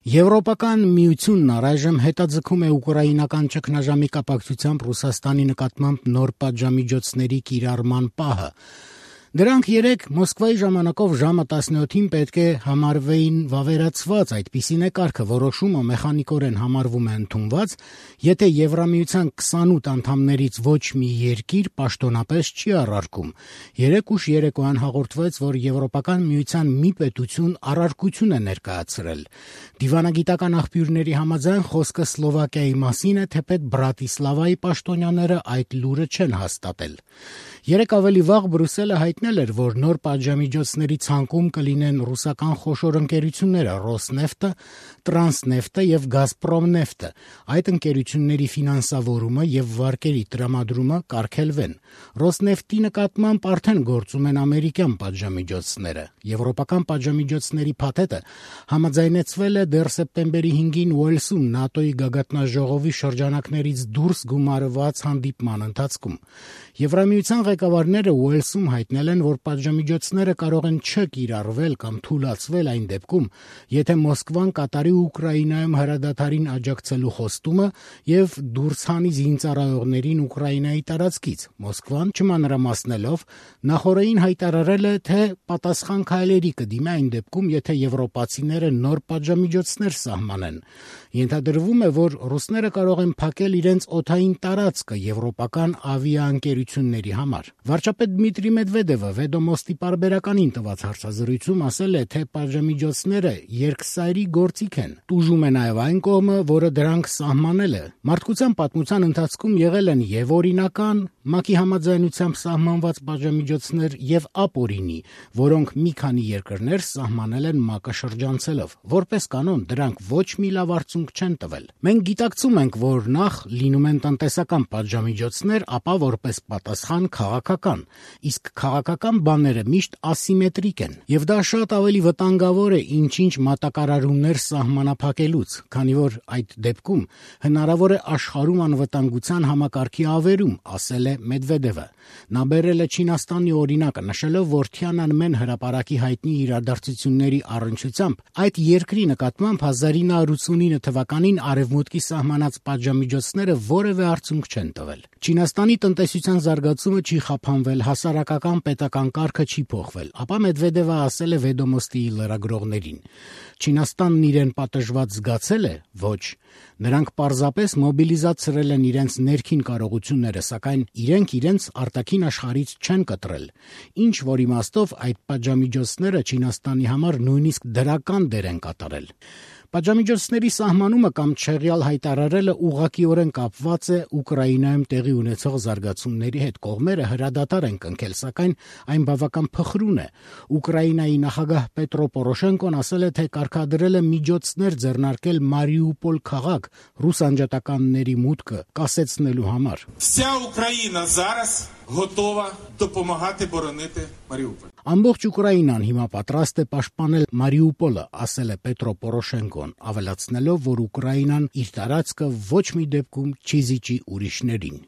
Եվրոպական միությունն առայժմ հետաձգում է ուկրաինական ճգնաժամի կապակցությամբ Ռուսաստանի նկատմամբ նոր պատժամիջոցների կիրառման պահը։ Դրանք երեկ Մոսկվայի ժամանակով ժամը 17-ին պետք է համարվեին վավերացված, այդպիսին է կարգը, որոշումը մեխանիկորեն համարվում է ընդունված, եթե Եվրամիության 28 անդամներից ոչ մի երկիր պաշտոնապես չի առարկում։ Երեկ ուշ երեկոյան հաղորդվեց, որ Եվրոպական միության մի պետություն առարկություն է ներկայացրել։ Դիվանագիտական աղբյուրների համաձայն խոսքը Սլովակիայի մասին է, թեպետ Բրատիսլավայի պաշտոնյաները այդ լուրը չեն հաստատել։ Երեկ ավելի վաղ Բրյուսելը հայտնել էր, որ նոր պատժամիջոցների ցանկում կլինեն ռուսական խոշոր ընկերությունները Ռոսնեֆտը, Տրանսնեֆտը եւ Գազպրոմնեֆտը։ Այդ ընկերությունների ֆինանսավորումը եւ վարկերի տրամադրումը կարգելվեն։ Ռոսնեֆտի նկատմամբ արդեն գործում են ամերիկյան պատժամիջոցները։ Եվրոպական պատժամիջոցների փաթեթը համաձայնեցվել է դեռ սեպտեմբերի 5-ին Ուելսում ՆԱՏՕ-ի գագաթնաժողովի շրջանակներից դուրս գումարված հանդիպման ընթացքում։ Եվրամիության ղեկավարները Ուելսում հայտնել են, որ պատժամիջոցները կարող են չկիրառվել կամ թուլացվել այն դեպքում, եթե Մոսկվան կատարի Ուկրաինայում հրադադարին աջակցելու խոստումը եւ դուրս հանի զինծառայողներին Ուկրաինայի տարածքից։ Մոսկվան, չմանրամասնելով, նախօրեին հայտարարել է, թե պատասխան քայլերի կդիմի այն դեպքում, եթե եվրոպացիները նոր պատժամիջոցներ սահմանեն։ Ենթադրվում է, որ ռուսները կարող են փակել իրենց օդային տարածքը եվրոպական ավիաընկերությունների համար։ Վարչապետ Դմիտրի Մեդվեդևը Վեդոմոստի պարբերականին տված հարցազրույցում ասել է, թե պատժամիջոցները երկսայրի գործիք են։ Տուժում է նաև այն կողմը, որը դրանք սահմանել է։ Մարդկության պատմության ընթացքում եղել են եւ օրինական, ՄԱԿ-ի համաձայնությամբ սահմանված պատժամիջոցներ եւ ապօրինի, որոնք մի քանի երկրներ սահմանել են ՄԱԿ-ը շրջանցելով։ Որպես կանոն, դրանք ոչ մի լավ արդյունք չեն տվել։ Մենք գիտակցում ենք, որ նախ լինում են տնտեսական պատժամիջոցներ, ապա որպես պատասխան քաղաքական, իսկ քաղաքական բաները միշտ ասիմետրիկ են, եւ դա շատ ավելի վտանգավոր է ինչ-ինչ մատակարարումներ սահմանափակելուց, քանի որ այդ դեպքում հնարավոր է աշխարհում անվտանգության համակարգի ավերում, ասել է Մեդվեդևը։ Նա բերել է Չինաստանի օրինակը, նշելով, որ Թիանանմեն հրապարակի հայտնի իրադարձությունների առնչությամբ այդ երկրի նկատմամբ 1989 թվականին Արևմուտքի սահմանած պատժամիջոցները որևէ արդյունք չեն տվել։ Չինաստանի տնտեսության զարգացումը չի խափանվել, հասարակական պետական կարգը չի փոխվել, ապա Մեդվեդևը ասել է Վեդոմոստի լրագրողներին. Չինաստանն իրեն պատժված զգացել է, ոչ։ Նրանք պարզապես մոբիլիզացրել են իրենց ներքին կարողությունները, սակայն իրենք իրենց արտաքին աշխարհից չեն կտրել, ինչ որ իմաստով այդ պատժամիջոցները Չինաստանի համար նույնիսկ դրական դեր են կատարել։ Պատժամիջոցների սահմանումը կամ չեղյալ հայտարարելը ուղղակիորեն կապված է Ուկրաինայում տեղի ունեցող զարգացումների հետ։ Կողմերը հրադադար են կնքել, սակայն այն բավական փխրուն է։ Ուկրաինայի նախագահ Պետրո Պորոշենկոն ասել է, թե կարգադրել է միջոցներ ձեռնարկել Մարիուպոլ քաղաք ռուս անջատականների մուտքը կասեցնելու համար։ Вся Україна зараз готова допомагати боронити Маріуполь. Ամբողջ Ուկրաինան հիմա պատրաստ է պաշտպանել Մարիուպոլը, ասել է Պետրո Պորոշենկոն, ավելացնելով, որ Ուկրաինան իր տարածքը ոչ մի դեպքում չի զիջի ուրիշներին։